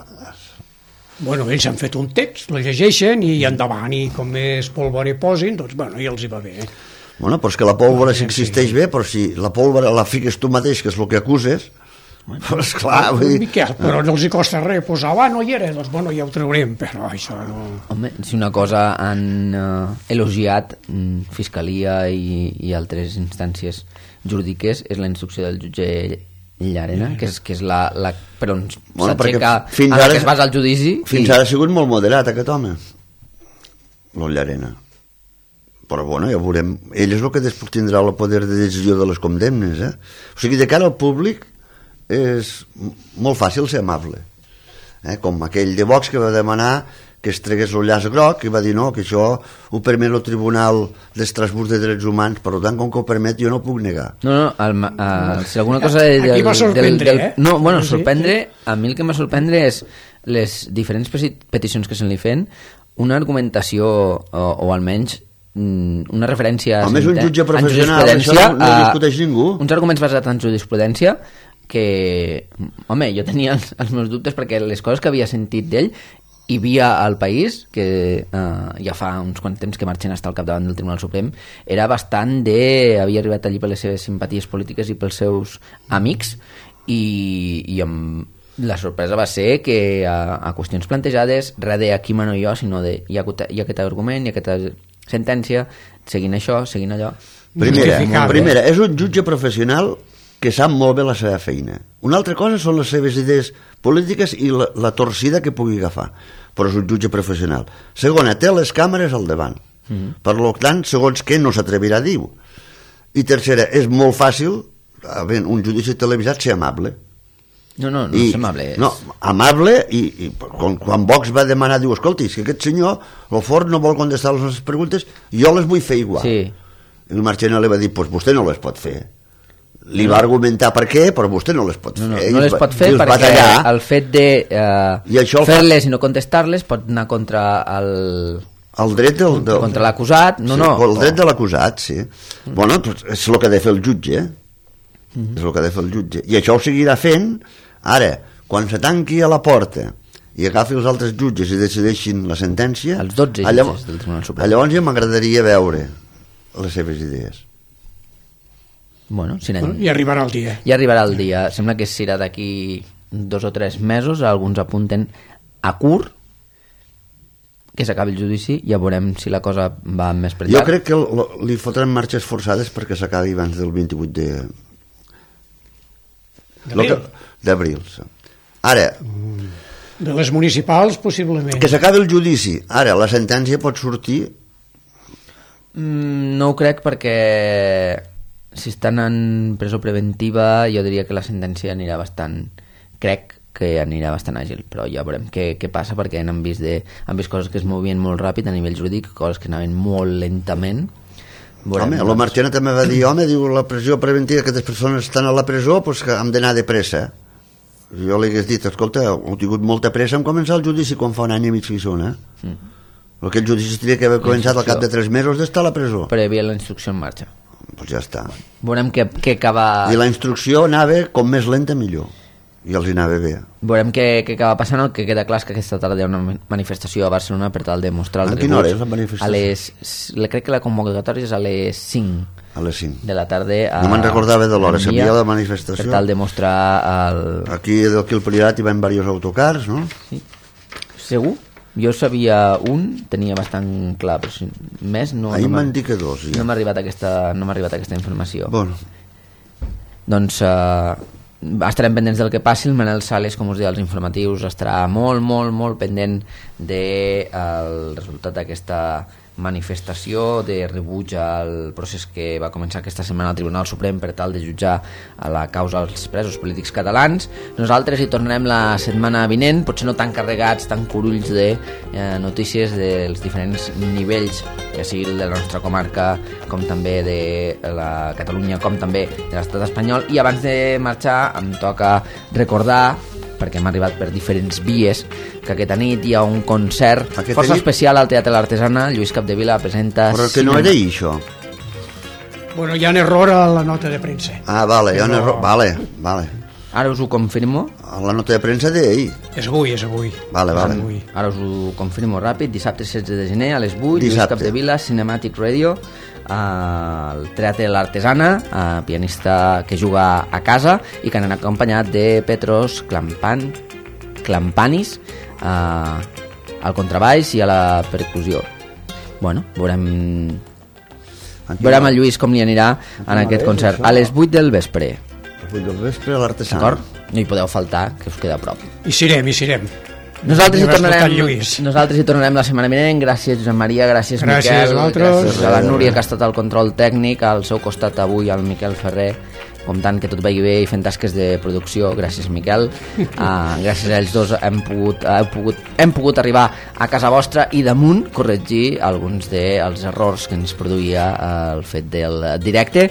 Bueno, ells han fet un text, el llegeixen i endavant, i com més pólvora hi posin, doncs bueno, ja els hi va bé. Bueno, però és que la pólvora sí existeix bé, però si la pólvora la fiques tu mateix, que és el que acuses, doncs clar, vull dir... Miquel, però no els hi costa res posar, no hi era, doncs bueno, ja ho traurem, però això no... Home, si una cosa han elogiat Fiscalia i altres instàncies jurídiques és la instrucció del jutge Llarena, que és la per on s'aixeca en la que es basa el judici. Fins ara ha sigut molt moderat aquest home, el Llarena, però bueno, ja veurem. Ell és el que després tindrà el poder de decisió de les condemnes, o sigui, de cara al públic és molt fàcil ser amable, com aquell de Vox que va demanar que es tregués el llaç groc i va dir no, que això ho permet el Tribunal d'Estrasburg de Drets Humans, per tant, com que ho permet jo no ho puc negar. No, si alguna cosa... Aquí va sorprendre, No, bueno, sorprendre, a mi el que m'ha sorprendre és les diferents peticions que se li fan, una argumentació o almenys una referència a més un jutge professional, això no discuteix ningú, uns arguments basats en jurisprudència que, home, jo tenia els meus dubtes perquè les coses que havia sentit d'ell hi havia al país, que ja fa uns quants temps que Marchena està al capdavant del Tribunal Suprem, era bastant de... havia arribat allí per les seves simpaties polítiques i pels seus amics, i la sorpresa va ser que a qüestions plantejades, res de aquí mano jo, sinó de hi ha aquest argument, hi ha aquesta sentència, seguint això, seguint allò. Primera, és un jutge professional que sap molt bé la seva feina. Una altra cosa són les seves idees polítiques i la torcida que pugui agafar, però és un jutge professional. Segona, té les càmeres al davant. Per tant, segons què no s'atrevirà a dir-ho. I tercera, és molt fàcil, un judici televisat, ser amable. No és amable. No, amable, i quan Vox va demanar, diu, escolti, si aquest senyor, el Fort no vol contestar les nostres preguntes, jo les vull fer igual. Sí. I el Marchena li va dir, doncs vostè no les pot fer. Li va argumentar per què, però vostè no les pot fer. No les pot fer perquè el fet de fer-les i no contestar-les pot anar contra el dret contra l'acusat. El dret de l'acusat, sí. Bueno, és el que ha de fer el jutge. És el que ha de fer el jutge. I això ho seguirà fent. Ara, quan se tanqui a la porta i agafi els altres jutges i decideixin la sentència, els 12 jutges del Tribunal Suprem, llavors ja m'agradaria veure les seves idees. Bueno, i arribarà el dia. I arribarà el dia. Sembla que serà d'aquí 2 o 3 mesos. Alguns apunten a curt que s'acabi el judici. Ja veurem si la cosa va més per llarg. Jo crec que li fotran marxes forçades perquè s'acabi abans del 28 d'abril. Ara, de les municipals possiblement. Que s'acabi el judici. Ara, la sentència pot sortir? No ho crec, perquè si estan en presó preventiva jo diria que la sentència anirà bastant, crec que anirà bastant àgil, però ja veurem què passa, perquè han vist coses que es movien molt ràpid a nivell jurídic, coses que anaven molt lentament. Home, la Marchena també va dir, diu, la pressió preventiva, que aquestes persones estan a la presó, doncs que hem d'anar de pressa. Jo li hagués dit, escolta, heu tingut molta pressa en començar el judici quan fa un any i mig que hi són, Aquest judici tindria que haver començat al cap de 3 mesos d'estar a la presó. Però hi havia la instrucció en marxa. Doncs ja està. Veurem què acaba... I la instrucció anava com més lenta millor. I els anava bé. Veurem què acaba passant. El que queda clar és que aquesta tarda hi ha una manifestació a Barcelona per tal de mostrar el rebuig. A quina hora és la manifestació? Crec que la convocatòria és a les 5. A les 5. De la tarda. No me'n recordava de l'hora. Sabia la manifestació. Per tal de mostrar Aquí del Priorat hi van diversos autocars, no? Sí. Segur? Jo sabia tenia bastant clar, però més no... Ahir m'han dit que 2, ja. No m'ha arribat aquesta informació. Bueno. Doncs estarem pendents del que passi. El Manel Sales, com us deia, als informatius, estarà molt, molt, molt pendent del resultat d'aquesta manifestació de rebuig al procés que va començar aquesta setmana al Tribunal Suprem per tal de jutjar a la causa als presos polítics catalans. Nosaltres hi tornarem la setmana vinent, potser no tan carregats, tan curulls de notícies dels diferents nivells, ja sigui de la nostra comarca, com també de la Catalunya, com també de l'estat espanyol. I abans de marxar em toca recordar, perquè hem arribat per diferents vies, que aquesta nit hi ha un concert força especial al Teatre l'Artesana. Lluís Capdevila presenta... Però que no era això. Bueno, hi ha un error a la nota de premsa. Vale, hi ha un error. Vale. Ara us ho confirmo. La nota de premsa d'ahir. És avui. Vale. Ara us ho confirmo ràpid. Dissabte 16 de gener a les 8, Lluís Capdevila, Cinematic Radio, al Teatre l'Artesana, pianista que juga a casa i que han acompanyat de Petros Klampanis al contrabaix i a la percussió. Bueno, veurem el Lluís com li anirà en aquest concert a les 8 del vespre. A les 8 del vespre a l'Artesana. D'acord? No hi podeu faltar, que us queda a prop. Hi serem. Nosaltres hi tornarem la setmana vinent. Gràcies Josep Maria, gràcies Miquel, gràcies a la Núria, que ha estat al control tècnic, al seu costat avui el Miquel Ferrer, comptant que tot vagi bé i fent tasques de producció. Gràcies Miquel. Gràcies a ells dos hem pogut arribar a casa vostra i damunt corregir alguns dels errors que ens produïa el fet del directe.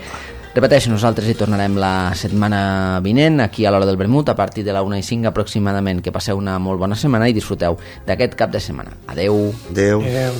Repeteixo, nosaltres hi tornarem la setmana vinent, aquí a l'hora del vermut, a partir de la 1:05 aproximadament. Que passeu una molt bona setmana i disfruteu d'aquest cap de setmana. Adeu. Adeu. Adeu.